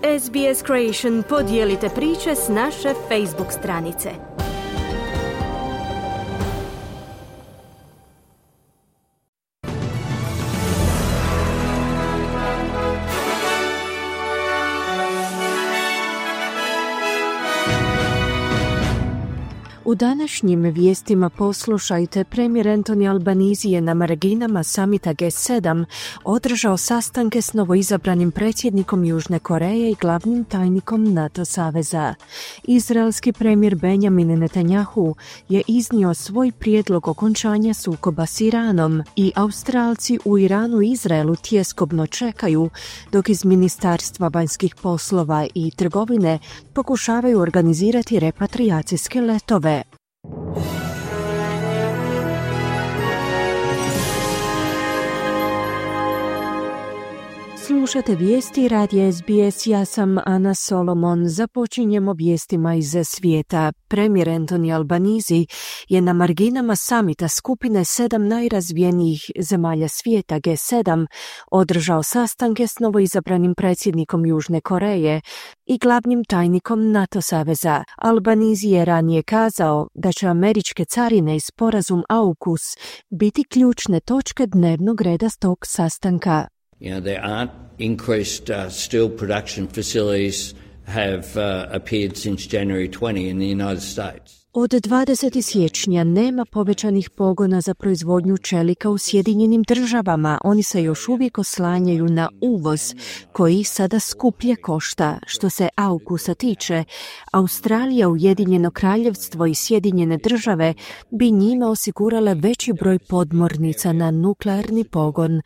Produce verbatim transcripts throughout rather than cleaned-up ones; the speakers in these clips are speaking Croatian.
S B S Creation podijelite priče s naše Facebook stranice. U današnjim vijestima poslušajte, premijer Anthony Albanese je na marginama samita G sedam održao sastanke s novoizabranim predsjednikom Južne Koreje i glavnim tajnikom NATO saveza. Izraelski premijer Benjamin Netanyahu je iznio svoj prijedlog okončanja sukoba s Iranom i Australci u Iranu i Izraelu tjeskobno čekaju, dok iz Ministarstva vanjskih poslova i trgovine pokušavaju organizirati repatrijacijske letove. Slušate vijesti radija S B S, ja sam Ana Solomon. Započinjemo vijestima iz svijeta. Premijer Anthony Albanese je na marginama samita skupine sedam najrazvijenijih zemalja svijeta G sedam održao sastanke s novoizabranim predsjednikom Južne Koreje i glavnim tajnikom NATO saveza. Albanese je ranije kazao da će američke carine i sporazum AUKUS biti ključne točke dnevnog reda tog sastanka. You know, there aren't increased uh, steel production facilities have uh, appeared since January twentieth in the United States. Od dvadesetog siječnja nema povećanih pogona za proizvodnju čelika u Sjedinjenim državama. Oni se još uvijek oslanjaju na uvoz, koji sada skuplje košta. Što se AUKUS-a tiče, Australija, Ujedinjeno kraljevstvo i Sjedinjene države bi njime osigurale veći broj podmornica na nuklearni pogon,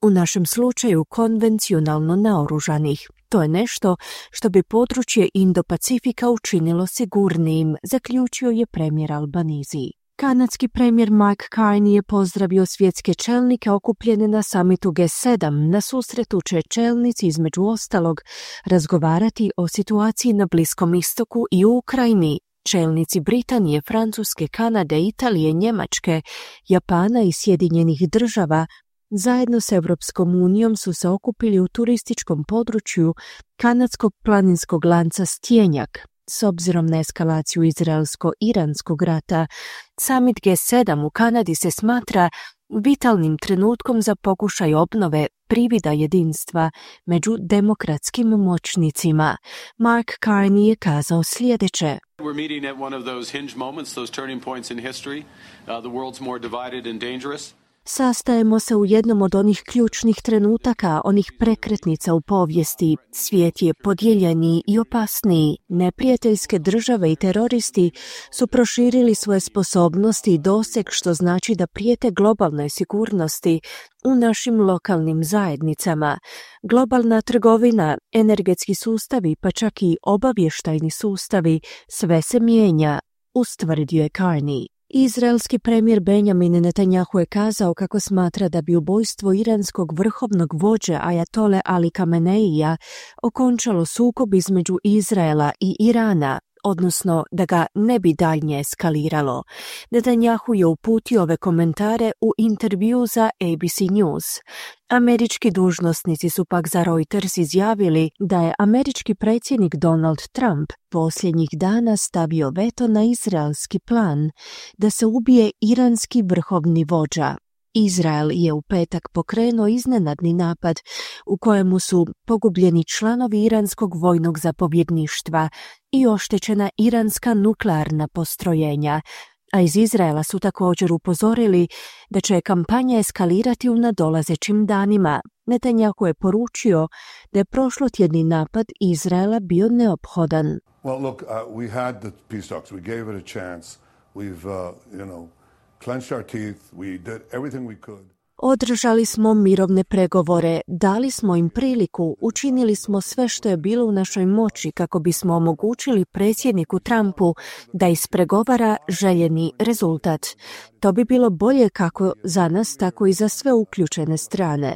u našem slučaju konvencionalno naoružanih. To je nešto što bi područje Indo-Pacifika učinilo sigurnijim, zaključio je premijer Albanese. Kanadski premijer Mike Carney je pozdravio svjetske čelnike okupljene na samitu G sedam. Na susretu će čelnici između ostalog razgovarati o situaciji na Bliskom istoku i u Ukrajini. Čelnici Britanije, Francuske, Kanade, Italije, Njemačke, Japana i Sjedinjenih država zajedno s Europskom unijom su se okupili u turističkom području kanadskog planinskog lanca Stjenjak. S obzirom na eskalaciju izraelsko-iranskog rata, summit G sedam u Kanadi se smatra vitalnim trenutkom za pokušaj obnove privida jedinstva među demokratskim moćnicima. Mark Carney je kazao sljedeće. We're meeting at one of those hinge moments, those turning points in history. Uh, the world's more divided and dangerous. Sastajemo se u jednom od onih ključnih trenutaka, onih prekretnica u povijesti. Svijet je podijeljeniji i opasniji. Neprijateljske države i teroristi su proširili svoje sposobnosti i doseg, što znači da prijete globalnoj sigurnosti u našim lokalnim zajednicama. Globalna trgovina, energetski sustavi, pa čak i obavještajni sustavi, sve se mijenja, ustvrdio je Carney. Izraelski premijer Benjamin Netanyahu je kazao kako smatra da bi ubojstvo iranskog vrhovnog vođe Ajatole Ali Khameneija okončalo sukob između Izraela i Irana, odnosno da ga ne bi daljnje eskaliralo. Netanyahu je uputio ove komentare u intervju za A B C News. Američki dužnosnici su pak za Reuters izjavili da je američki predsjednik Donald Trump posljednjih dana stavio veto na izraelski plan da se ubije iranski vrhovni vođa. Izrael je u petak pokrenuo iznenadni napad u kojemu su pogubljeni članovi iranskog vojnog zapovjedništva i oštećena iranska nuklearna postrojenja, a iz Izraela su također upozorili da će kampanja eskalirati u nadolazećim danima. Netanyahu je poručio da je prošlotjedni napad Izraela bio neophodan. Well, look, uh, we had the peace talks. We gave it a chance. We've, uh, you know, clenched our teeth. We did everything we could. Održali smo mirovne pregovore, dali smo im priliku, učinili smo sve što je bilo u našoj moći kako bismo omogućili predsjedniku Trumpu da ispregovara željeni rezultat. To bi bilo bolje kako za nas, tako i za sve uključene strane.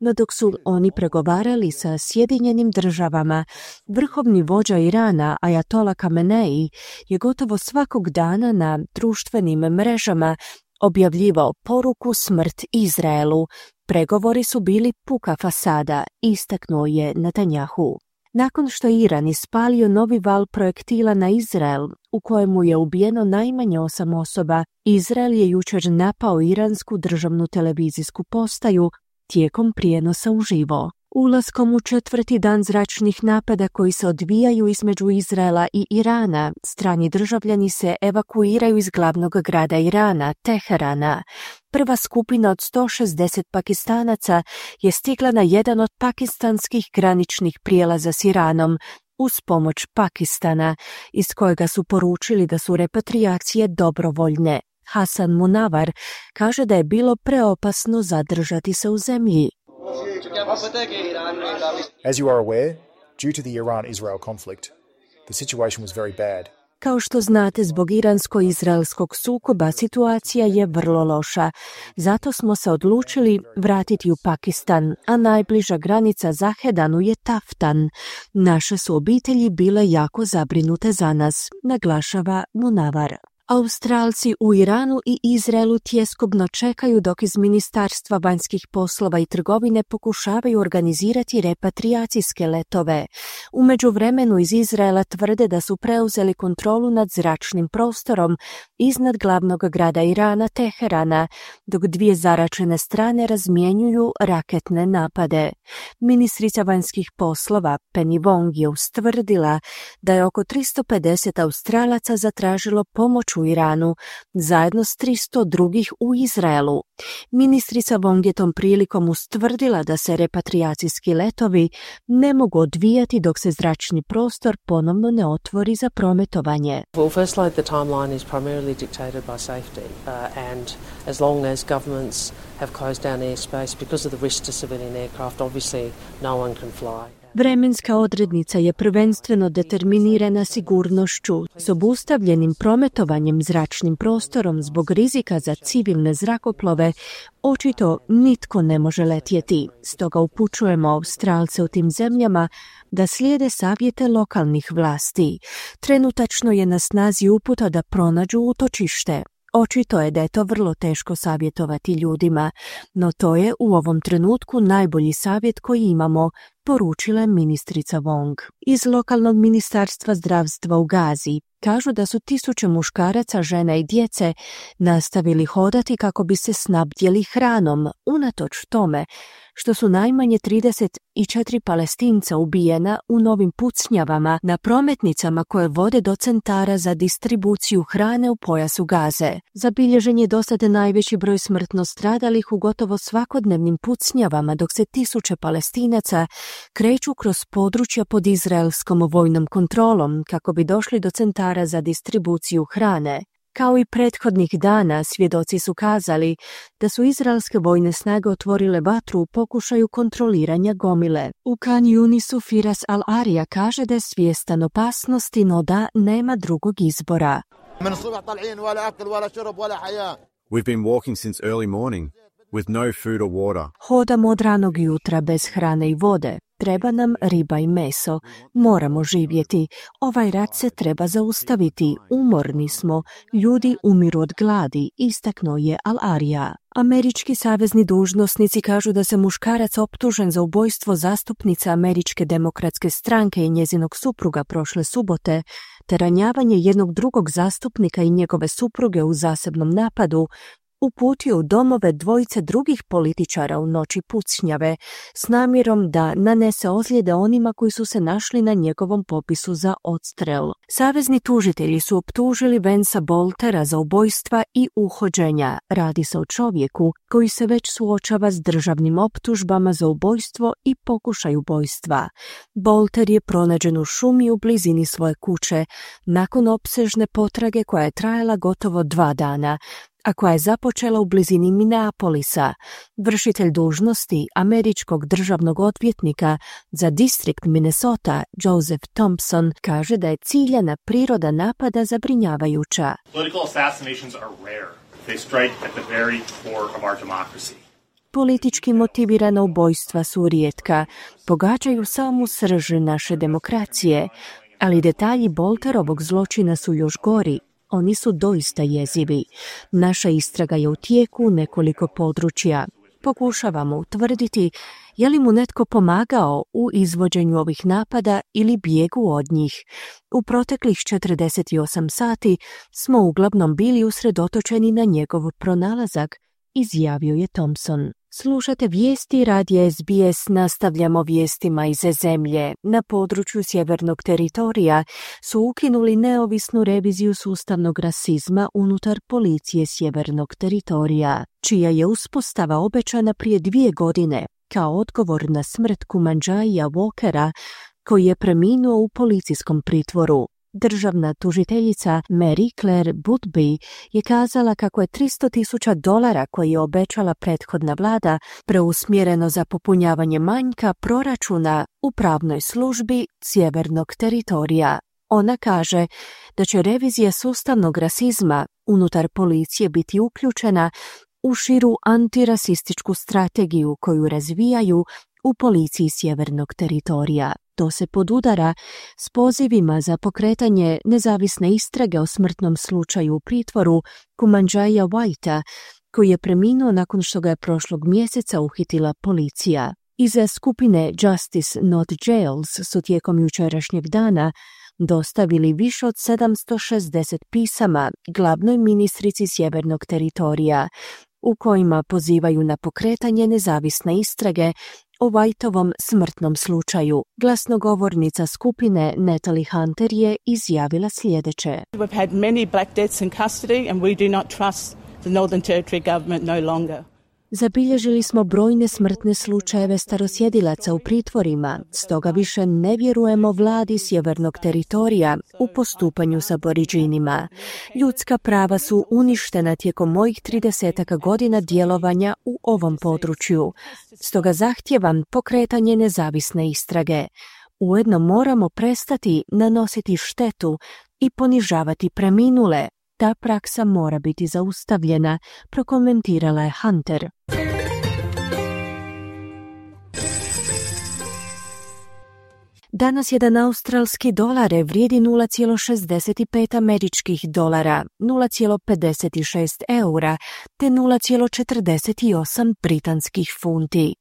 No dok su oni pregovarali sa Sjedinjenim državama, vrhovni vođa Irana, Ajatola Khamenei, je gotovo svakog dana na društvenim mrežama objavljivao poruku smrt Izraelu. Pregovori su bili puka fasada, istaknuo je Netanyahu. Nakon što je Iran ispalio novi val projektila na Izrael, u kojemu je ubijeno najmanje osam osoba, Izrael je jučer napao iransku državnu televizijsku postaju tijekom prijenosa uživo. Ulaskom u četvrti dan zračnih napada koji se odvijaju između Izraela i Irana, strani državljani se evakuiraju iz glavnog grada Irana, Teherana. Prva skupina od sto šezdeset Pakistanaca je stigla na jedan od pakistanskih graničnih prijelaza s Iranom, uz pomoć Pakistana, iz kojega su poručili da su repatrijacije dobrovoljne. Hasan Munavar kaže da je bilo preopasno zadržati se u zemlji. As you are aware, due to the Iran-Israel conflict, the situation was very bad. Kao što znate, zbog iransko-izraelskog sukoba situacija je vrlo loša. Zato smo se odlučili vratiti u Pakistan, a najbliža granica Zahedanu je Taftan. Naše su obitelji bile jako zabrinute za nas, naglašava Munavar. Australci u Iranu i Izraelu tjeskobno čekaju dok iz Ministarstva vanjskih poslova i trgovine pokušavaju organizirati repatrijacijske letove. U međuvremenu iz Izraela tvrde da su preuzeli kontrolu nad zračnim prostorom iznad glavnog grada Irana, Teherana, dok dvije zaračene strane razmjenjuju raketne napade. Ministrica vanjskih poslova Penny Wong je ustvrdila da je oko tristo pedeset Australaca zatražilo pomoć u Iranu, zajedno s tristo drugih u Izraelu. Ministrica Wong je tom prilikom ustvrdila da se repatrijacijski letovi ne mogu odvijati dok se zračni prostor ponovno ne otvori za prometovanje. Well, firstly, the timeline is primarily dictated by safety, uh, and as long as governments have closed down airspace because of the risk to civilian aircraft, obviously no one can fly. Vremenska odrednica je prvenstveno determinirana sigurnošću s obustavljenim prometovanjem zračnim prostorom zbog rizika za civilne zrakoplove. Očito nitko ne može letjeti. Stoga upućujemo Australce u tim zemljama da slijede savjete lokalnih vlasti. Trenutačno je na snazi uputa da pronađu utočište. Očito je da je to vrlo teško savjetovati ljudima, no to je u ovom trenutku najbolji savjet koji imamo, poručila je ministrica Wong. Iz lokalnog ministarstva zdravstva u Gazi kažu da su tisuće muškaraca, žena i djece nastavili hodati kako bi se snabdjeli hranom, unatoč tome što su najmanje trideset četiri Palestinca ubijena u novim pucnjavama na prometnicama koje vode do centara za distribuciju hrane u pojasu Gaze. Zabilježen je dosad najveći broj smrtno stradalih u gotovo svakodnevnim pucnjavama, dok se tisuće Palestinaca kreću kroz područja pod izraelskom vojnom kontrolom kako bi došli do centara za distribuciju hrane. Kao i prethodnih dana, svjedoci su kazali da su izraelske vojne snage otvorile vatru u pokušaju kontroliranja gomile. U Khan Yunisu Firas Al-Arija kaže da je svjestan opasnosti, no da nema drugog izbora. We've been walking since early morning with no food or water. Hodamo od ranog jutra bez hrane i vode. Treba nam riba i meso. Moramo živjeti. Ovaj rat se treba zaustaviti. Umorni smo. Ljudi umiru od gladi, istaknuo je Al-Arija. Američki savezni dužnosnici kažu da se muškarac optužen za ubojstvo zastupnice Američke demokratske stranke i njezinog supruga prošle subote, te ranjavanje jednog drugog zastupnika i njegove supruge u zasebnom napadu, uputio u domove dvojice drugih političara u noći pucnjave s namjerom da nanese ozljede onima koji su se našli na njegovom popisu za odstrel. Savezni tužitelji su optužili Vansa Boltera za ubojstva i uhođenja. Radi se o čovjeku koji se već suočava s državnim optužbama za ubojstvo i pokušaj ubojstva. Bolter je pronađen u šumi u blizini svoje kuće nakon opsežne potrage koja je trajala gotovo dva dana, a koja je započela u blizini Minneapolisa. Vršitelj dužnosti američkog državnog odvjetnika za distrikt Minnesota, Joseph Thompson, kaže da je ciljana priroda napada zabrinjavajuća. Political assassinations are rare. They strike at the very core of our democracy. Politički motivirana ubojstva su rijetka, pogađaju samu srž naše demokracije, ali detalji Bolterovog zločina su još gori. Oni su doista jezivi. Naša istraga je u tijeku u nekoliko područja. Pokušavamo utvrditi je li mu netko pomagao u izvođenju ovih napada ili bijegu od njih. U proteklih četrdeset osam sati smo uglavnom bili usredotočeni na njegov pronalazak, izjavio je Thompson. Slušate vijesti radija S B S, nastavljamo vijestima iz zemlje. Na području sjevernog teritorija su ukinuli neovisnu reviziju sustavnog rasizma unutar policije sjevernog teritorija, čija je uspostava obećana prije dvije godine kao odgovor na smrt Kumanjaia Walkera, koji je preminuo u policijskom pritvoru. Državna tužiteljica Mary Claire Boothby je kazala kako je tristo tisuća dolara koje je obećala prethodna vlada preusmjereno za popunjavanje manjka proračuna u pravnoj službi sjevernog teritorija. Ona kaže da će revizija sustavnog rasizma unutar policije biti uključena u širu antirasističku strategiju koju razvijaju u policiji sjevernog teritorija. To se podudara s pozivima za pokretanje nezavisne istrage o smrtnom slučaju u pritvoru Kumanjaia Whitea, koji je preminuo nakon što ga je prošlog mjeseca uhitila policija. Iza skupine Justice Not Jails su tijekom jučerašnjeg dana dostavili više od sedamsto šezdeset pisama glavnoj ministrici sjevernog teritorija, u kojima pozivaju na pokretanje nezavisne istrage o Whiteovom smrtnom slučaju. Glasnogovornica skupine Natalie Hunter je izjavila sljedeće. We've had many black deaths in custody and we do not trust the Northern Territory government no longer. Zabilježili smo brojne smrtne slučajeve starosjedilaca u pritvorima, stoga više ne vjerujemo vladi sjevernog teritorija u postupanju s aboriđinima. Ljudska prava su uništena tijekom mojih tridesetaka godina djelovanja u ovom području, stoga zahtijevam pokretanje nezavisne istrage. Ujedno moramo prestati nanositi štetu i ponižavati preminule. Ta praksa mora biti zaustavljena, prokomentirala je Hunter. Danas jedan australski dolar vrijedi nula zarez šezdeset pet američkih dolara, nula zarez pedeset šest eura te nula zarez četrdeset osam britanskih funti.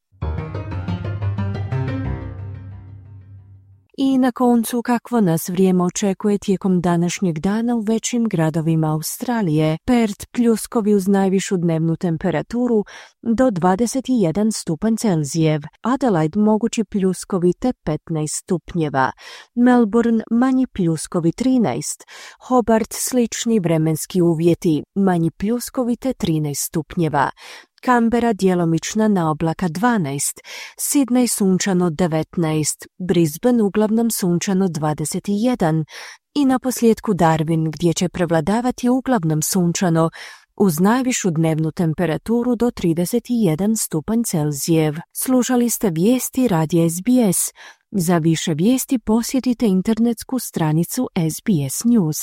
I na koncu, kakvo nas vrijeme očekuje tijekom današnjeg dana u većim gradovima Australije. Perth pljuskovi uz najvišu dnevnu temperaturu do dvadeset jedan stupanj Celzijev, Adelaide mogući pljuskovi te petnaest stupnjeva, Melbourne manji pljuskovi trinaest, Hobart slični vremenski uvjeti, manji pljuskovi te trinaest stupnjeva, Canberra djelomična naoblaka dvanaest, Sydney sunčano devetnaest, Brisbane uglavnom sunčano dvadeset jedan i naposljetku Darwin gdje će prevladavati uglavnom sunčano uz najvišu dnevnu temperaturu do trideset jedan stupanj Celzijev. Slušali ste vijesti radija S B S. Za više vijesti posjetite internetsku stranicu S B S News.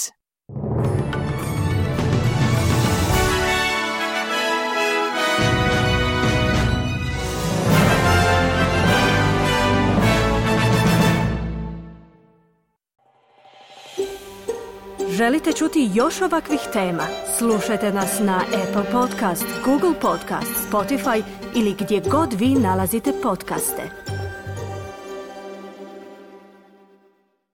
Želite čuti još ovakvih tema? Slušajte nas na Apple Podcast, Google Podcast, Spotify ili gdje god vi nalazite podcaste.